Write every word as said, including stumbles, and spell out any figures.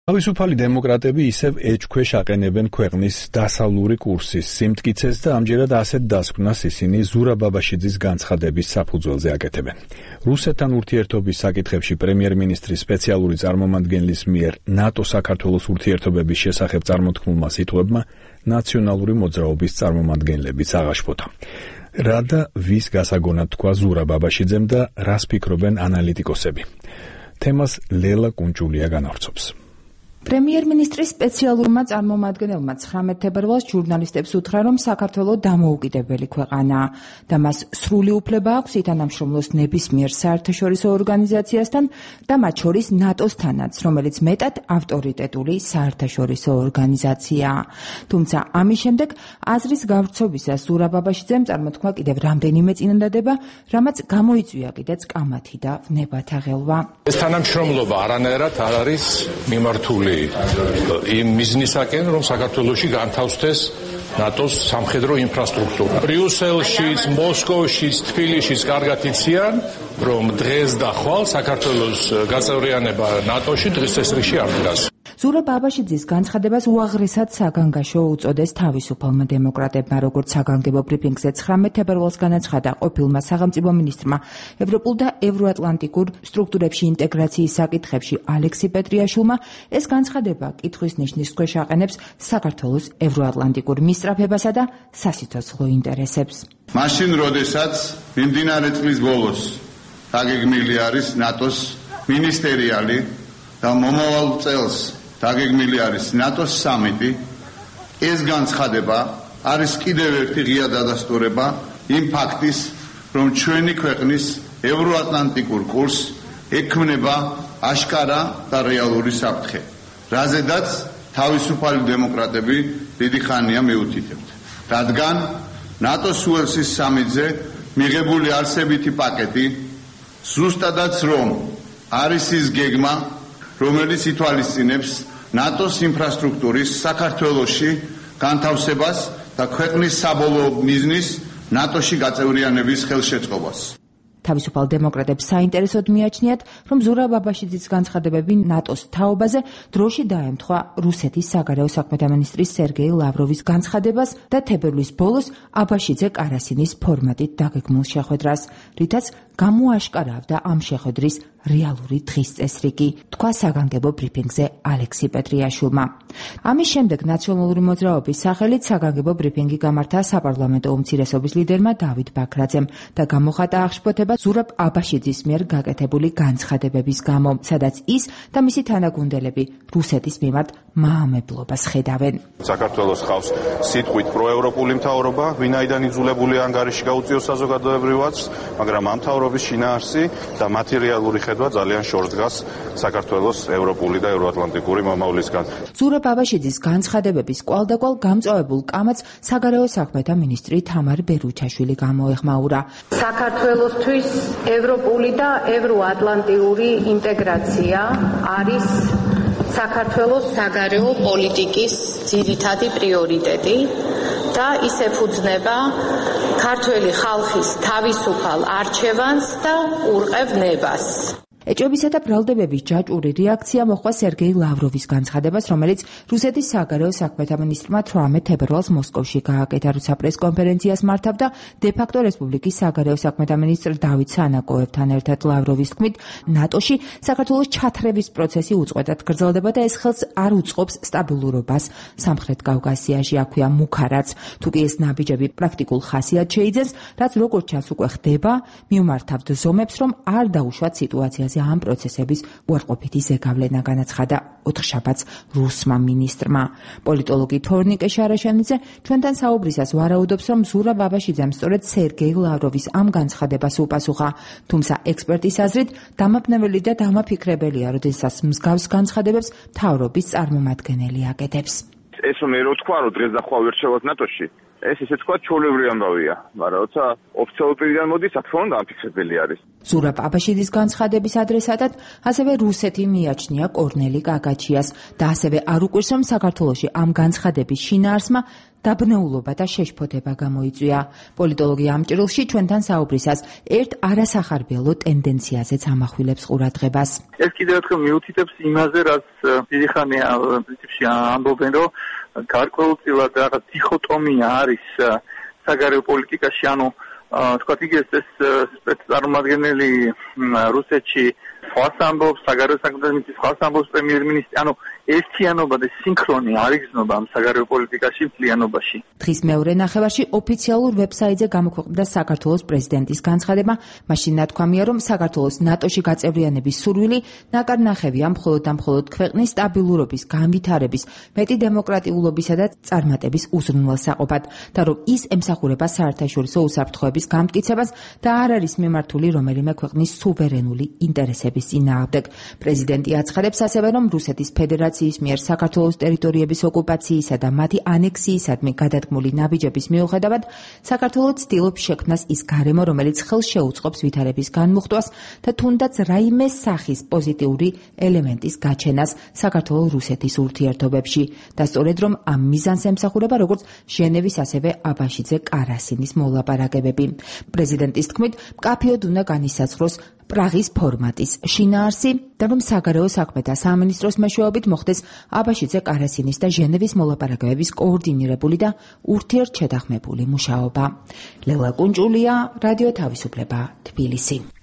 თავისუფალი დემოკრატები ისევ ეჭქვეშ აყენებენ ქვეყნის დასავლური კურსის სიმტკიცეს და ამჯერად ასეთ დასკვნას ისინი ზურაბ ბაბაშიძის განცხადების საფუძველზე აკეთებენ. რუსეთთან ურთიერთობის საკითხებში პრემიერ-მინისტრის სპეციალური წარმომადგენლის მიერ ნატო-საქართველოს ურთიერთობების შესახებ წარმოთქმულმა სიტყვებმა ნაციონალური მოძრაობის წარმომადგენლებიც აღაშფოთა. რა და ვის გასაგონად თქვა ზურაბ ბაბაშიძემ და რას ფიქრობენ ანალიტიკოსები? თემას ლელა კუნჭულია განავრცობს. პრემიერ-მინისტრის სპეციალურმა წარმომადგენელმა ცხრამეტ თებერვალს ჟურნალისტებს უთხრა, რომ საქართველო დამოუკიდებელი ქვეყანაა და მას სრული უფლება აქვს ითანამშრომლოს ნებისმიერ საერთაშორისო ორგანიზაციასთან და მათ შორის ნატოსთანაც, რომელიც მეტად ავტორიტეტული საერთაშორისო ორგანიზაციაა. თუმცა ამის შემდეგ აზრის გავრცობისას ზურაბ ბაბაშიძემ წარმოთქვა კიდევ რამდენიმე წინადადება, რამაც გამოიწვია კიდეც კამათი და ვნებათა ღელვა. ეს თანამშრომლობა არანაირად არ არის მიმართული იმ მიზნისაკენ, რომ საქართველოში განთავსდეს ნატოს სამხედრო ინფრასტრუქტურა. ბრიუსელშიც, მოსკოვშიც, თბილისშიც კარგად იციან, რომ დღეს და ხვალ საქართველოს გაწევრიანება ნატოში დღის წესრიგში არ დგას. ზურაბ ბაბაშიძის განცხადებას უაღრესად საგანგაშო უწოდეს თავისუფალმა დემოკრატებმა, როგორც საგანგებო ბრიფინგზე ცხრამეტ თებერვალს განაცხადა ყოფილმა სახელმწიფო მინისტრმა ევროპულ და ევროატლანტიკურ სტრუქტურებში ინტეგრაციის საკითხებში ალექსი პეტრიაშვილმა. ეს განცხადება კითხვის ნიშნის ქვეშ აყენებს საქართველოს ევროატლანტიკურ მისწრაფებასა და სასიცოცხლო ინტერესებს. მაშინ, როდესაც მიმდინარე წლის ბოლოს დაგეგმილი არის ნატოს მინისტერიალი და მომავალ წელს დაგეგმილი არის ნატოს სამიტი, ეს განცხადება არის კიდევ ერთი ღია დადასტურება იმ ფაქტის, რომ ჩვენი ქვეყნის ევროატლანტიკურ კურსს ექმნება აშკარა და რეალური საფრთხე, რაზედაც თავისუფალი დემოკრატები დიდი ხანია მიუთითებთ. რადგან ნატოს უელსის სამიტზე მიღებული არსებითი პაკეტი ზუსტადაც რომ არის ის გეგმა, რომელიც ითვალისწინებს ნატოს ინფრასტრუქტურის საქართველოში განთავსებას და ქვეყნის საბოლოო მიზნის ნატოში გაწევრიანების ხელშეწყობას. თავისუფალ დემოკრატებს საინტერესოდ მიაჩნიათ, რომ ზურაბ ბაბაშიძის განცხადებები ნატოს თაობაზე დროში დაემთხვა რუსეთის საგარეო საქმეთა მინისტრის სერგეი ლავროვის განცხადებას და თებერვლის ბოლოს აბაშიძე კარასინის ფორმატით დაგეგმულ შეხვედრას, რითაც გამოაშკარავდა ამ შეხვედრის რეალური დღის წესრიგი, თქვა საგანგებო ბრიფინგზე ალექსი პეტრიაშვილმა. ამის შემდეგ ნაციონალური მოძრაობის სახელით საგანგებო ბრიფინგი გამართა საპარლამენტო უმცირესობის ლიდერმა დავით ბაქრაძემ და გამოხატა აღშფოთება ზურაბ აბაშიძის მიერ გაკეთებული განცხადებების გამო, სადაც ის და მისი თანაგუნდელები რუსეთის მიმართ მაამებლობას ხედავენ. საქართველოს ხავს სიტყვით პროევროპული მთავრობა, ვინაიდან იძულებული ანგარიში გაუწიოს საზოგადოებრივად, მაგრამ ამ მთავრობის შინაარსი და მათი რეალური ხედვა ძალიან შორს დგას საქართველოს ევროპული და ევროატლანტიკური მომავლისგან. ზურაბ ბაბაშიძის განცხადებების კვალდაკვალ გამწვავებულ კამათს საგარეო საქმეთა მინისტრი თამარ ბერუჩაშვილი გამოეხმაურა. საქართველოსთვის ევროპული და ევროატლანტიკური ინტეგრაცია არის საქართველოს საგარეო პოლიტიკის ძირითადი პრიორიტეტი და ის ეფუძნება ქართველი ხალხის თავისუფალ არჩევანს და ყურყევნებას. ეჭვებისა და ბრალდებების ჯაჭვური რეაქცია მოჰყვა სერგეი ლავროვის განცხადებას, რომელიც რუსეთის საგარეო საქმეთა მინისტრმა თვრამეტ თებერვალს მოსკოვში გააკეთა, როცა პრესკონფერენციას მართავდა დე-ფაქტო რესპუბლიკის საგარეო საქმეთა მინისტრ დავით სანაკოევთან ერთად. ლავროვის თქმით, ნატოში საქართველოს ჩათრევის პროცესი უწყვეტად გრძელდება და ეს ხელს არ უწყობს სტაბილურობას სამხრეთ კავკასიაში, აქვეა მუქარაც. თუკი ეს ნაბიჯები პრაქტიკულ ხასიათს შეიძენს, რაც როგორც ჩანს უკვე ხდება, მიმართავთ ზომებს, რომ არ დაუშვათ სიტუაციაზე ამ პროცესების უარყოფითი ზეგავლენა, განაცხადა ოთხშაბათს რუსმა მინისტრმა. პოლიტოლოგი თორნიკე შარაშანიძე ჩვენთან საუბრისას ვარაუდობს, რომ ზურაბ ბაბაშიძემ სწორედ სერგეი ლავროვის ამ განცხადებას უპასუხა. თუმცა ექსპერტის აზრით დამაბნეველი და დამაფიქრებელია, როდესაც მსგავს განცხადებებს მთავრობის წარმომადგენელი აკეთებს. ეს რომ მე რო თქვა, რომ დღეს და ხვალ ვერ შევალთ ნატოში, ეს ისე თქვა ჩვეულებრივი ამბავია, მაგრამ როცა ოფიციალური პირიდან მოდის, რა თქმა უნდა, ამფიქსებელი არის. ზურაბ აბაშიძის განცხადების ადრესატად ასევე რუსეთი მიაჩნია კორნელი კაკაჩიას და ასევე არ უკვირს, რომ საქართველოში ამ განცხადების შინაარსმა დაბნეულობა და შეშფოთება გამოიწვია. პოლიტოლოგი ამ ჭრილში ჩვენთან საუბრისას ერთ არასახარბიელო ტენდენციაზეც ამახვილებს ყურადღებას. ეს კიდევ ერთხელ მიუთითებს იმაზე, რაც დიდი ხანია პრინციპში ამბობენ, რომ გარკვეულწილად რაღაც დიქოტომია არის საგარეო პოლიტიკაში, ანუ თქვათ იგივე ეს სპეცწარმომადგენელი რუსეთში სხვას ამბობს, საგარეო საქმეთა მინისტრი სხვას ამბობს, პრემიერ-მინისტრი, ანუ ერთიანობა და სინქრონი არ იგრძნობა ამ საგარეო პოლიტიკაში მთლიანობაში. დღის მეორე ნახევარში ოფიციალურ ვებსაიტზე გამოქვეყნდა საქართველოს პრეზიდენტის განცხადება. მაშინ ნათქვამია, რომ საქართველოს ნატოში გაწევრიანების სურვილი ნაკარნახევია მხოლოდ და მხოლოდ ქვეყნის სტაბილურობის, განვითარების, მეტი დემოკრატიულობისა და წარმატების უზრუნველსაყოფად და რომ ის ემსახურება საერთაშორისო უსაფრთხოების გამტკიცებას და არ არის მიმართული რომელიმე ქვეყნის სუვერენული ინტერესების წინააღმდეგ. პრეზიდენტი აცხადებს ასევე, რომ რუსეთის ფედერაცია მიერ საქართველოს ტერიტორიების ოკუპაციისა და მათი ანექსიისადმი გადადგმული ნაბიჯების მიუხედავად საქართველო ცდილობს შექმნას ის გარემო, რომელიც ხელს შეუწყობს ვითარების განმუხტვას და თუნდაც რაიმე სახის პოზიტიური ელემენტის გაჩენას საქართველო-რუსეთის ურთიერთობებში და სწორედ რომ ამ მიზანს ემსახურება როგორც ჟენევის ასევე აბაშიძე კარასინის მოლაპარაკებები. პრეზიდენტის თქმით, მკაფიოდ უნდა განისაზღვროს პრაღის ფორმატის შინაარსი და რომ საგარეო საქმეთა სამინისტროს მეშვეობით მოხდეს აბაშიძე კარასინის და ჟენევის მოლაპარაკებების კოორდინირებული და ურთიერთშეთანხმებული მუშაობა. ლელა კუნჭულია, რადიო თავისუფლება, თბილისი.